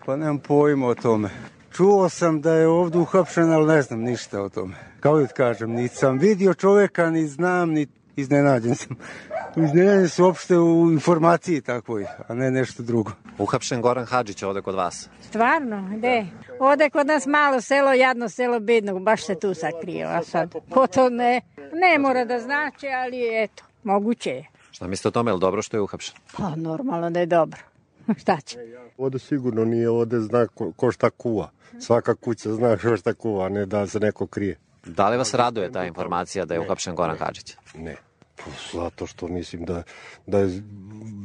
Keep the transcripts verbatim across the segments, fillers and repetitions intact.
Pa nemam pojma o tome. Čuo sam da je ovdje uhapšen, ali ne znam ništa o tome. Kao da kažem, ni sam vidio čovjeka, ni znam, ni iznenađen sam. Iznenađen su uopšte u informaciji takvoj, a ne nešto drugo. Uhapšen Goran Hadžić ovde kod vas. Stvarno, gde? Ovde kod nas malo selo, jadno selo bednog, baš se tu sakrio, a sad, ko to ne, ne mora da znači, ali eto, moguće je. Šta mislite o tome, je li dobro što je uhapšen? Pa normalno da je dobro. Šta će? Ovde sigurno nije, ovde zna ko, ko šta kuva. Svaka kuća zna ko šta kuva, a ne da se neko krije. Da li vas raduje ta informacija da je uhapšen Goran Hadžić? Ne, zato što mislim da, da je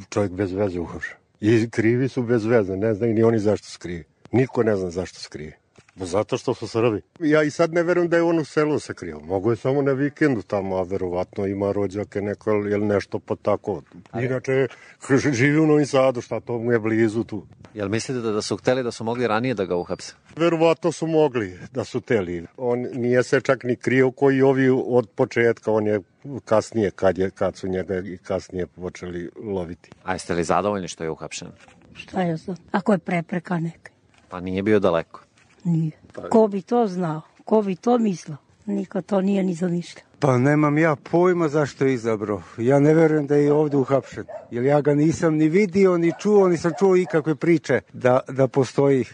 čovjek bez veze uhapšen. I krivi su bez veze, ne znaju ni oni zašto skrije. Niko ne zna zašto skrije. Zato što su Srbi. Ja i sad ne verujem da je on u selu se krio. Mogu je samo na vikendu tamo, a verovatno ima rođake neko ili nešto pa tako. Inače, živi u Novom Sadu, šta to mu je blizu tu. Jel mislite da, da su hteli da su mogli ranije da ga uhapse? Verovatno su mogli da su hteli. On nije se čak ni krio koji ovi od početka, on je kasnije, kad, je, kad su njega i kasnije počeli loviti. A jeste li zadovoljni što je uhapšen? Šta ja znam? Ako je prepreka neka. Pa nije bio daleko. Nije. Ko bi to znao? Ko bi to mislio? Niko to nije ni zamišljao. Pa nemam ja pojma zašto je izabrao. Ja ne verujem da je ovdje uhapšen. Jer ja ga nisam ni vidio, ni čuo, nisam čuo ikakve priče da, da postoji.